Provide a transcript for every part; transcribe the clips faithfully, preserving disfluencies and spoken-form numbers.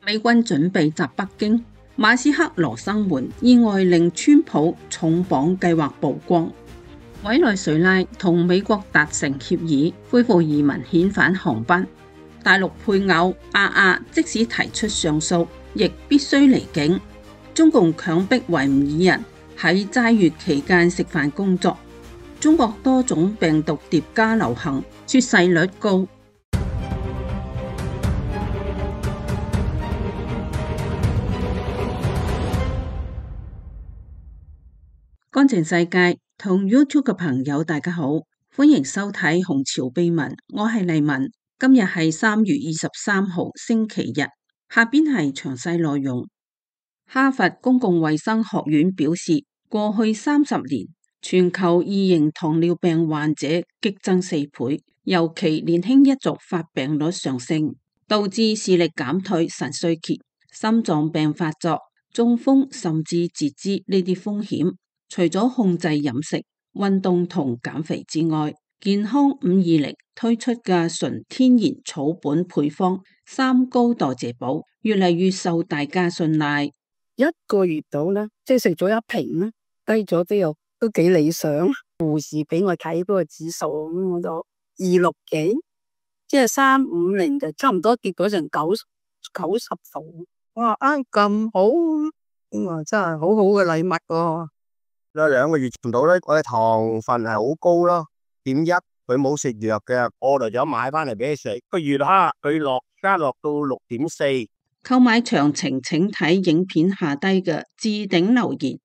美軍準備襲北京，馬斯克羅生門意外令川普重磅計劃曝光。委內瑞拉同美國達成協議，恢復移民遣返航班。大陸配偶阿亞即使提出上訴，亦必須離境。中共強迫維吾爾人喺齋月期間食飯工作。中國多種病毒疊加流行，猝逝率高。乾淨世界同 YouTube 嘅朋友大家好，歡迎收睇紅潮秘聞，我係麗文。今日係三月二十三號星期日，下邊係詳細內容。哈佛公共衛生學院表示，過去三十年全球二型糖尿病患者激增四倍，尤其年輕一族發病率上升，導致視力減退、腎衰竭、心臟病發作、中風甚至截肢呢啲風險。除咗控制飲食、運動同減肥之外，健康五二零推出嘅純天然草本配方三高代謝寶越嚟越受大家信賴。一個月到啦，即係食咗一瓶啦，低咗啲又都幾理想。護士俾我睇嗰個指數，咁我就二六幾，即係三五零就差唔多跌咗成九九十度。哇，啱咁好，咁啊真係好好嘅禮物喎。有兩個月唔到咧，我嘅糖分係好高咯，點一佢冇食藥嘅，我嚟咗買翻嚟俾佢食。個月哈佢落加落到六點四。購買詳情請睇影片下低嘅置頂留言。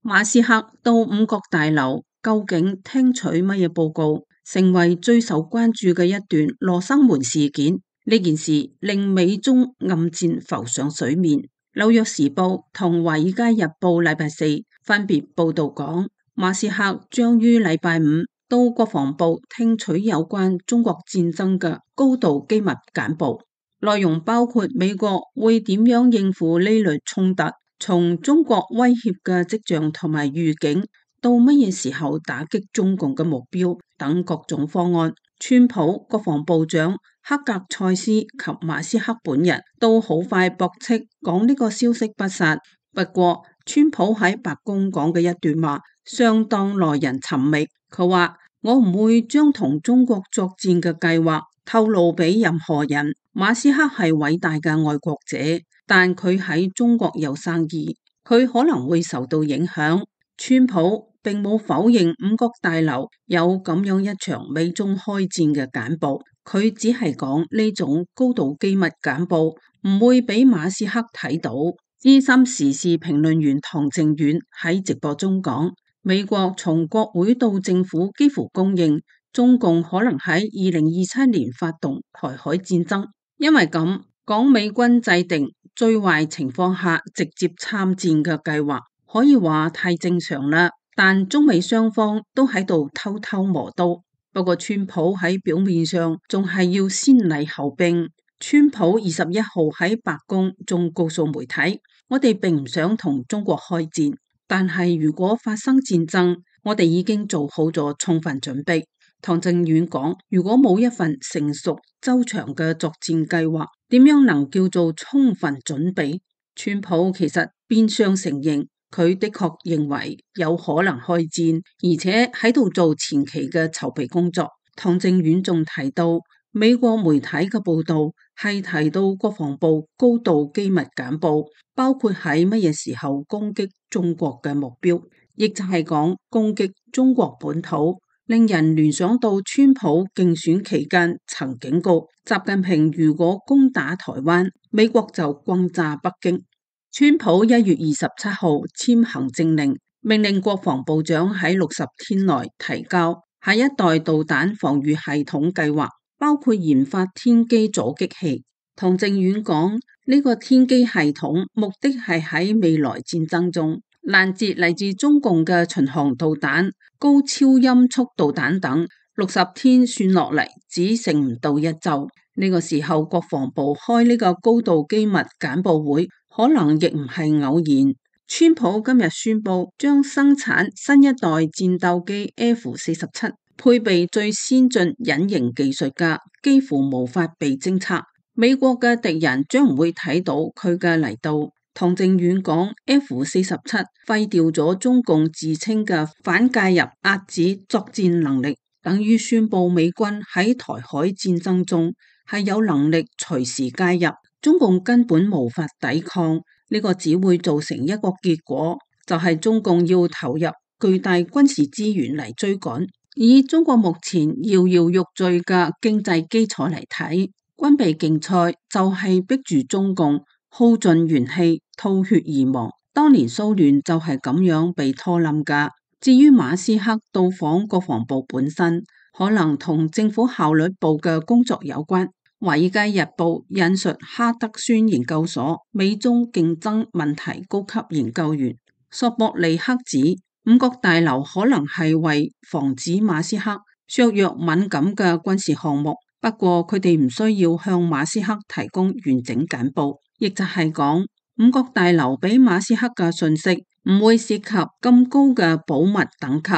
馬斯克到五角大樓究竟聽取乜嘢報告，成為最受關注嘅一段羅生門事件。呢件事令美中暗戰浮上水面。紐約時報同華爾街日報禮拜四分別報道講，馬斯克將於禮拜五到國防部聽取有關中國戰爭嘅高度機密簡報，內容包括美國會點樣應付呢類衝突，從中國威脅嘅跡象同埋預警到乜嘢時候打擊中共嘅目標等各種方案。川普、國防部長克格塞斯及馬斯克本人都好快駁斥，講呢個消息不實。不過，川普喺白宮講嘅一段話相當耐人尋味。佢話：我唔會將同中國作戰嘅計劃透露俾任何人。馬斯克係偉大嘅愛國者，但佢喺中國有生意，佢可能會受到影響。川普並冇否認五角大樓有咁樣一場美中開戰嘅簡報，佢只係講呢種高度機密簡報唔會俾馬斯克睇到。資深時事評論員唐靖遠喺直播中講，美國從國會到政府幾乎公認中共可能喺二零二七年發動台海戰爭，因為咁講美軍制定最壞情況下直接參戰嘅計劃，可以話太正常啦。但中美雙方都喺度偷偷磨刀。不過川普喺表面上仲係要先禮後兵。川普二十一號喺白宮仲告訴媒體，我哋並唔想同中國開戰，但係如果發生戰爭，我哋已經做好咗充分準備。唐靖遠講，如果冇一份成熟周詳嘅作戰計劃，點樣能叫做充分準備？川普其實變相承認，佢的確認為有可能開戰，而且喺度做前期嘅籌備工作。唐靖遠仲提到，美國媒體嘅報道係提到國防部高度機密簡報，包括喺乜嘢時候攻擊中國嘅目標，亦就係講攻擊中國本土，令人聯想到川普競選期間曾警告習近平，如果攻打台灣，美國就轟炸北京。川普一月二十七號簽行政令，命令國防部長喺六十天內提交下一代導彈防禦系統計劃，包括研發天基阻擊器。唐靖遠講，呢個天基系統目的係喺未來戰爭中攔截嚟自中共嘅巡航導彈、高超音速導彈等。六十天算落嚟只剩唔到一周。呢個時候國防部開呢個高度機密簡報會，可能亦唔係偶然。川普今日宣布將生產新一代戰鬥機 F 四十七，配備最先進隱形技術嘅，幾乎無法被偵測。美國嘅敵人將唔會睇到佢嘅嚟到。唐靖遠講 F 四十七廢掉咗中共自稱嘅反介入遏止作戰能力，等於宣佈美軍喺台海戰爭中係有能力隨時介入，中共根本無法抵抗。呢個只會造成一個結果，就係中共要投入巨大軍事資源嚟追趕。以中國目前搖搖欲墜嘅經濟基礎嚟睇，軍備競賽就係逼住中共耗盡元氣、吐血而亡。當年蘇聯就係咁樣被拖冧噶。至於馬斯克到訪國防部本身，可能同政府效率部嘅工作有關。華爾街日報引述哈德遜研究所美中競爭問題高級研究員索博利克指，五角大樓可能係為防止馬斯克削弱敏感嘅軍事項目，不過佢哋唔需要向馬斯克提供完整簡報，亦就係講五角大樓俾馬斯克嘅信息唔會涉及咁高嘅保密等級，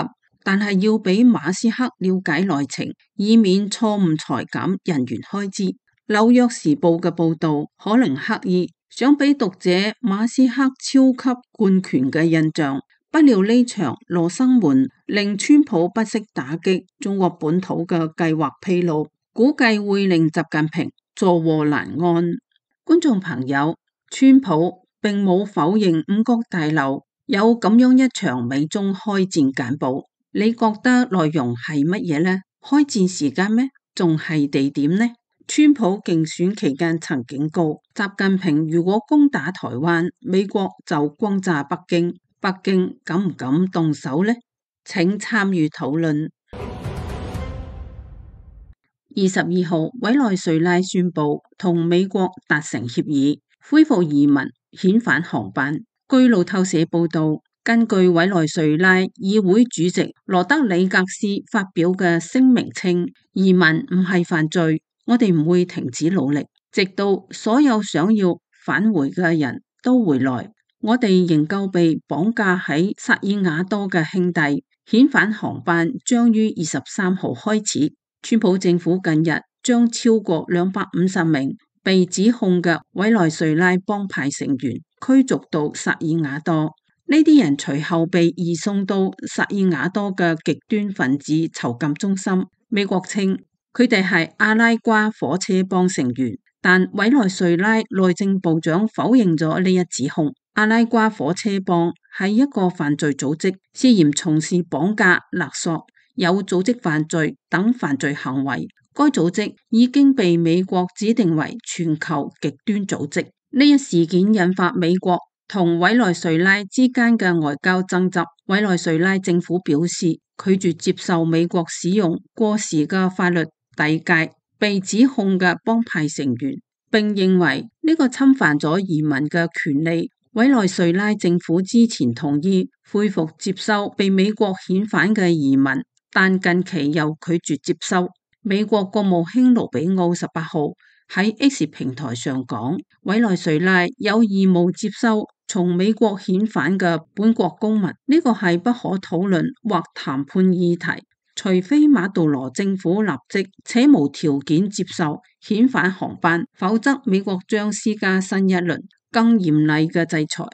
但係要俾馬斯克了解內情，以免錯誤裁減人員開支。紐約時報嘅報道可能刻意想俾讀者馬斯克超級貫權嘅印象，不料呢場羅生門令川普不惜打擊中國本土嘅計劃披露，估計會令習近平坐臥難安。觀眾朋友，川普並冇否認五角大樓有咁樣一場美中開戰簡報，你覺得內容係乜嘢呢？開戰時間咩？仲係地點呢？川普競選期間曾警告，習近平如果攻打台灣，美國就轟炸北京，北京敢唔敢動手呢？請參與討論。二十二號，委內瑞拉宣布同美國達成協議，恢復移民遣返航班。據路透社報道，根據委內瑞拉議會主席羅德里格斯發表嘅聲明稱，移民唔係犯罪，我哋唔會停止努力，直到所有想要返回嘅人都回來。我哋仍舊被綁架喺薩爾瓦多嘅兄弟，遣返航班將於二十三號開始。川普政府近日將超過兩百五十名被指控嘅委內瑞拉幫派成員驅逐到薩爾瓦多，呢啲人隨後被移送到薩爾瓦多嘅極端分子囚禁中心。美國稱佢哋係阿拉瓜火車幫成員，但委內瑞拉內政部長否認咗呢一指控。阿拉瓜火車幫係一個犯罪組織，涉嫌從事綁架、勒索、有組織犯罪等犯罪行為。該組織已經被美國指定為全球極端組織。呢一事件引發美國同委內瑞拉之間嘅外交爭執。委內瑞拉政府表示拒絕接受美國使用過時嘅法律遞解被指控嘅幫派成員，並認為呢個侵犯咗移民嘅權利。委內瑞拉政府之前同意恢復接收被美國遣返嘅移民，但近期又拒絕接收。美國國務卿盧比奧十八號喺 X 平台上講，委內瑞拉有義務接收從美國遣返嘅本國公民，呢個係不可討論或談判議題，除非馬杜羅政府立即且無條件接受遣返航班，否則美國將施加新一輪更嚴厲嘅制裁。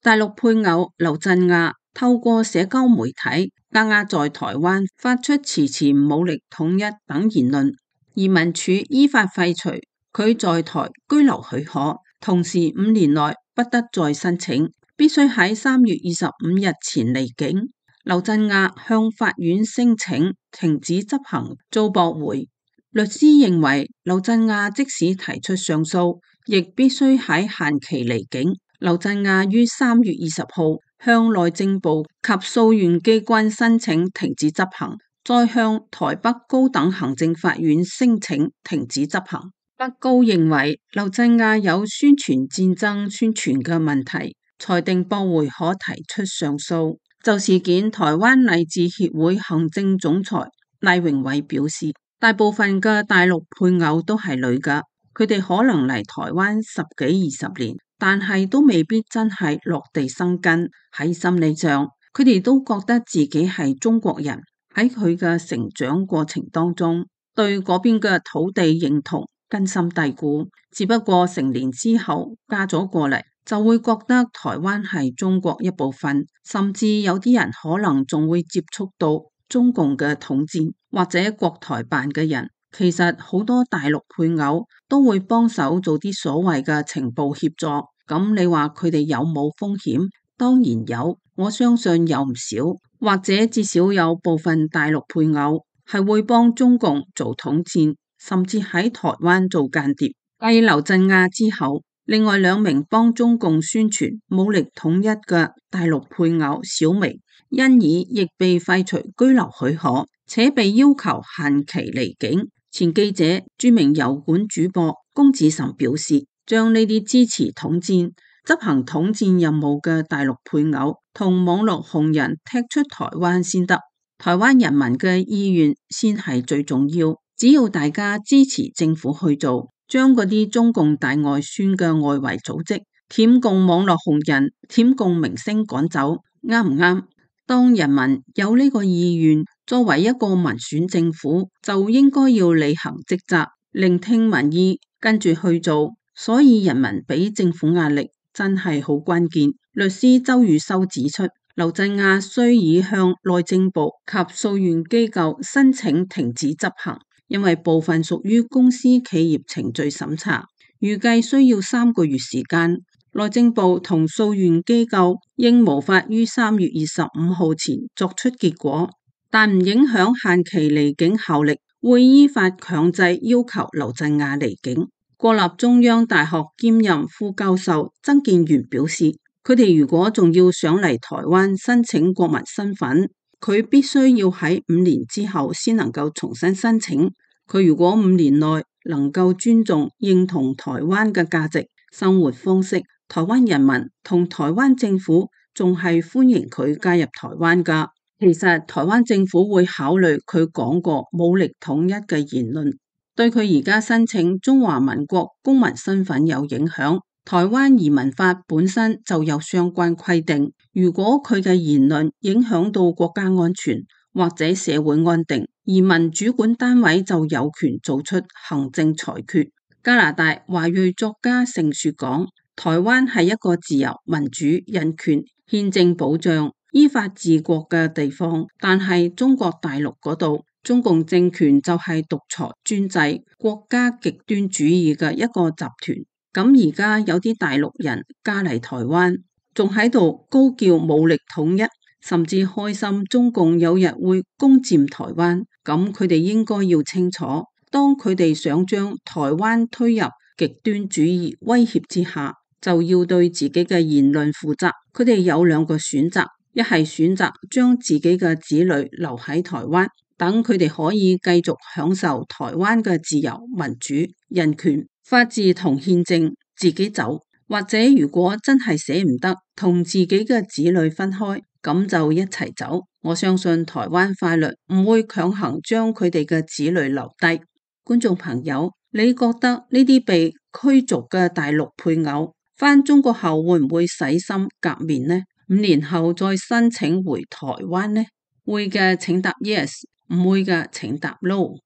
大陸配偶劉振亞透過社交媒體壓壓在台灣發出遲遲武力統一等言論，移民署依法廢除佢在台居留許可，同時五年內不得再申請，必須喺三月二十五日前離境。劉振亞向法院申請停止執行遭駁回，律師認為劉振亞即使提出上訴，亦必須喺限期離境。劉振亞於三月二十號向內政部及訴願機關申請停止執行，再向台北高等行政法院申請停止執行。北高認為劉振亞有宣傳戰爭宣傳嘅問題，裁定駁回可提出上訴。就事件，台灣勵志協會行政總裁賴榮偉表示，大部分嘅大陸配偶都係女嘅，佢哋可能嚟台灣十幾二十年，但係都未必真係落地生根。喺心理上，佢哋都覺得自己係中國人。喺佢嘅成長過程當中，對嗰邊嘅土地認同根深蒂固，只不過成年之後嫁咗過嚟，就會覺得台灣係中國一部分，甚至有啲人可能仲會接觸到中共嘅統戰或者國台辦嘅人。其實好多大陸配偶都會幫手做啲所謂嘅情報協助，咁你話佢哋有冇風險？當然有，我相信有唔少，或者至少有部分大陸配偶係會幫中共做統戰，甚至喺台灣做間諜。繼劉振亞之後，另外兩名幫中共宣傳武力統一嘅大陸配偶小薇，因而亦被廢除居留許可，且被要求限期離境。前記者、著名油管主播龔子岑表示，將呢啲支持統戰、執行統戰任務嘅大陸配偶同網絡紅人踢出台灣先得，台灣人民嘅意願先係最重要。只要大家支持政府去做，將嗰啲中共大外宣嘅外圍組織、舔共網絡紅人、舔共明星趕走，啱唔啱？當人民有呢個意願，作為一個民選政府，就應該要履行職責，聆聽民意，跟住去做。所以人民俾政府壓力真係好關鍵。律師周宇修指出，劉振亞須已向內政部及訴願機構申請停止執行，因為部分屬於公司企業程序審查，預計需要三個月時間。內政部同訴願機構應無法於三月二十五號前作出結果，但唔影響限期離境效力，會依法強制要求劉振亞離境。國立中央大學兼任副教授曾建元表示，佢哋如果仲要上嚟台灣申請國民身份，佢必須要喺五年之後先能夠重新申請。佢如果五年內能夠尊重認同台灣嘅價值、生活方式，台灣人民同台灣政府仲係歡迎佢加入台灣㗎。其實台灣政府會考慮佢講過武力統一嘅言論，對佢而家申請中華民國公民身份有影響。台灣移民法本身就有相關規定，如果佢嘅言論影響到國家安全或者社會安定，移民主管單位就有權做出行政裁決。加拿大華裔作家盛雪講，台灣係一個自由、民主、人權、憲政保障、依法治國嘅地方，但係中國大陸嗰度，中共政權就係獨裁專制、國家極端主義嘅一個集團。咁而家有啲大陸人加嚟台灣，仲喺度高叫武力統一，甚至開心中共有日會攻佔台灣。咁佢哋應該要清楚，當佢哋想將台灣推入極端主義威脅之下，就要對自己嘅言論負責。佢哋有兩個選擇，一係選擇將自己嘅子女留喺台灣，等佢哋可以繼續享受台灣嘅自由、民主、人權、法治同憲政，自己走。或者如果真係捨唔得同自己嘅子女分開，咁就一齊走。我相信台灣法律唔會強行將佢哋嘅子女留低。觀眾朋友，你覺得呢啲被驅逐嘅大陸配偶返中國後會唔會洗心革面呢？五年後再申請回台灣呢？會嘅請答 yes， 唔會嘅請答 no。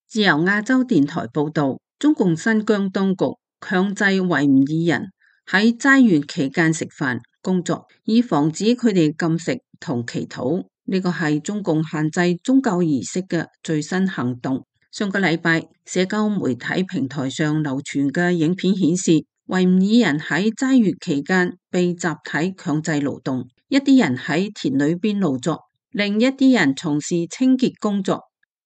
自由亞洲電台報道，中共新疆當局強制維吾爾人喺齋月期間食飯、工作，以防止佢哋禁食同祈禱。呢個係中共限制宗教儀式嘅最新行動。上個禮拜，社交媒體平台上流傳嘅影片顯示，維吾爾人喺齋月期間被集體強制勞動，一啲人喺田裏邊勞作，另一啲人從事清潔工作。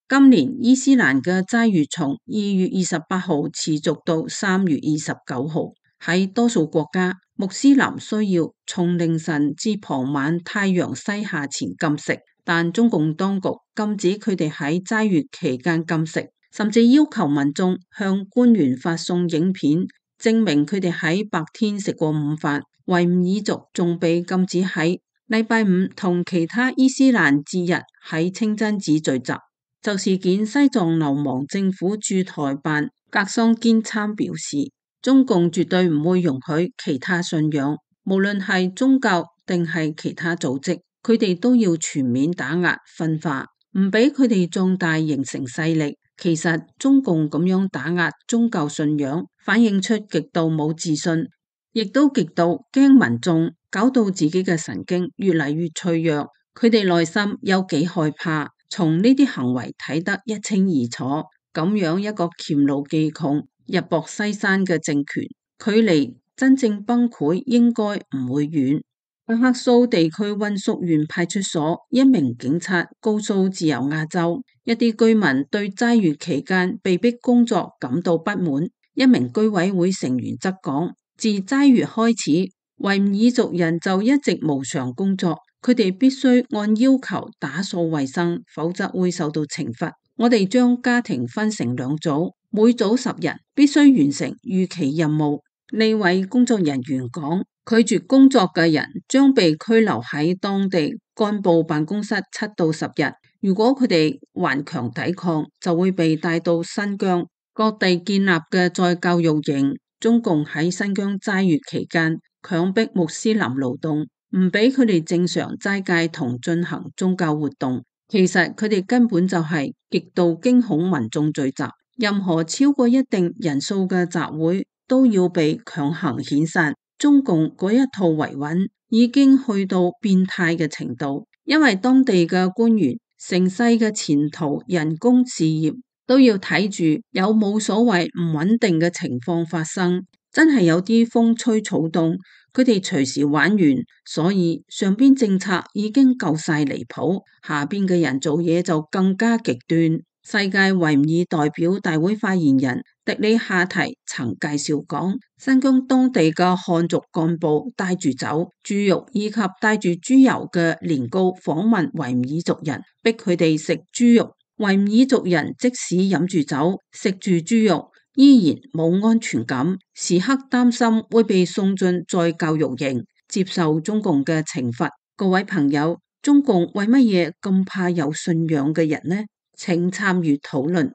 今年伊斯蘭嘅齋月從二月二十八號持續到三月二十九號。喺多數國家，穆斯林需要從凌晨至傍晚太陽西下前禁食，但中共當局禁止佢哋喺齋月期間禁食，甚至要求民眾向官員發送影片，證明佢哋喺白天食過午飯。維吾爾族仲被禁止喺禮拜五同其他伊斯蘭節日喺清真寺聚集。就事件，西藏流亡政府駐台辦格桑堅參表示，中共絕對唔會容許其他信仰，無論係宗教定係其他組織，佢哋都要全面打壓分化。唔俾佢哋壯大形成勢力。其實中共咁樣打壓宗教信仰，反映出極度冇自信，亦都極度驚民眾，搞到自己嘅神經越嚟越脆弱。佢哋內心有幾害怕，從呢啲行為睇得一清二楚。咁樣一個黔驢技窮、日薄西山嘅政權，距離真正崩潰應該唔會遠。阿克蘇地區溫宿縣派出所一名警察告訴自由亞洲，一啲居民對齋月期間被逼工作感到不滿。一名居委會成員則講，自齋月開始，維吾爾族人就一直無償工作，佢哋必須按要求打掃衛生，否則會受到懲罰。我哋將家庭分成兩組，每組十人，必須完成預期任務。呢位工作人員講，拒絕工作嘅人將被拘留喺當地幹部辦公室七到十日，如果佢哋頑強抵抗，就會被帶到新疆各地建立嘅再教育營。中共喺新疆齋月期間強迫穆斯林勞動，唔俾佢哋正常齋戒同進行宗教活動。其實佢哋根本就係極度驚恐民眾聚集，任何超過一定人數嘅集會都要被強行遣散。中共嗰一套維穩已經去到變態嘅程度，因為當地嘅官員成世嘅前途、人工、事業都要睇住有冇所謂唔穩定嘅情況發生，真係有啲風吹草動，佢哋隨時玩完。所以上邊政策已經夠晒離譜，下邊嘅人做嘢就更加極端。世界維吾爾代表大會發言人迪里夏提曾介紹講，新疆當地嘅漢族幹部帶住酒、豬肉以及帶住豬油嘅年糕訪問維吾爾族人，逼佢哋食豬肉。維吾爾族人即使飲住酒、食住豬肉，依然冇安全感，時刻擔心會被送進再教育營，接受中共嘅懲罰。各位朋友，中共為乜嘢咁怕有信仰嘅人呢？請參與討論。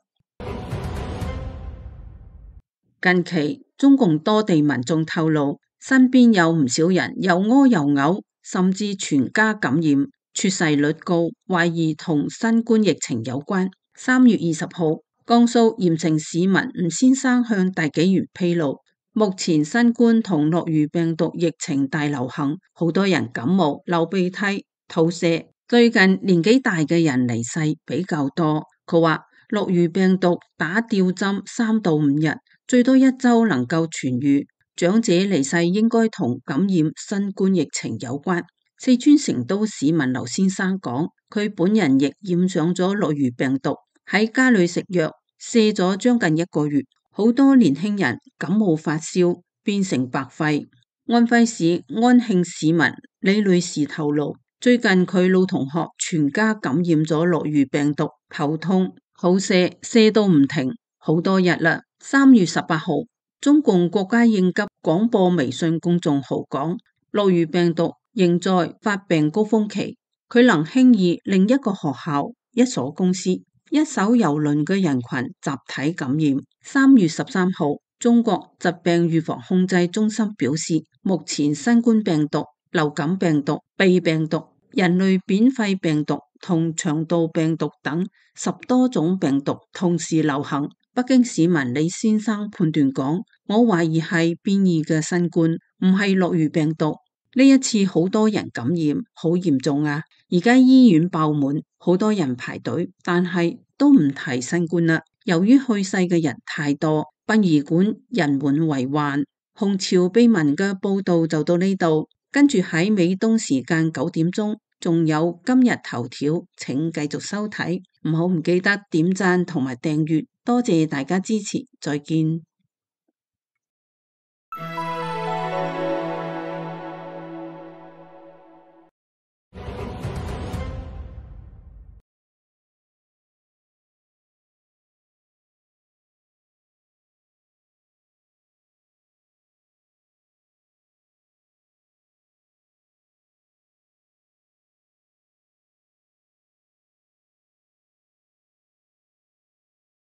近期中共多地民眾透露，身邊有唔少人又屙又嘔，甚至全家感染，猝逝率高，懷疑同新冠疫情有關。三月二十號，江蘇鹽城市民吳先生向大紀元披露，目前新冠同諾如病毒疫情大流行，好多人感冒、流鼻涕、肚瀉。最近年紀大嘅人離世比較多。佢話諾如病毒打吊針三到五日，最多一周能夠痊愈。長者離世應該同感染新冠疫情有關。四川成都市民劉先生講，佢本人亦染上咗諾如病毒，喺家裏食藥瀉咗將近一個月。好多年輕人感冒發燒變成白肺。安徽市安慶市民李女士透露，最近佢老同學全家感染咗諾如病毒，頭痛、肚瀉，瀉到唔停，好多日啦。三月十八號，中共國家應急廣播微信公眾號講，諾如病毒仍在發病高峰期，佢能輕易令一個學校、一所公司、一艘郵輪嘅人群集體感染。三月十三號，中國疾病預防控制中心表示，目前新冠病毒、流感病毒、鼻病毒、人類扁肺病毒同腸道病毒等十多種病毒同時流行。北京市民李先生判斷講，我懷疑係變異嘅新冠，唔係諾如病毒。呢一次好多人感染，好嚴重啊！而家醫院爆滿，好多人排隊，但係都唔提新冠啦。由於去世嘅人太多，殯儀館人滿為患。紅潮秘聞嘅報道就到呢度，跟住喺美東時間九點鐘，仲有今日頭條，請繼續收睇，唔好唔記得點讚同埋訂閱，多謝大家支持，再見。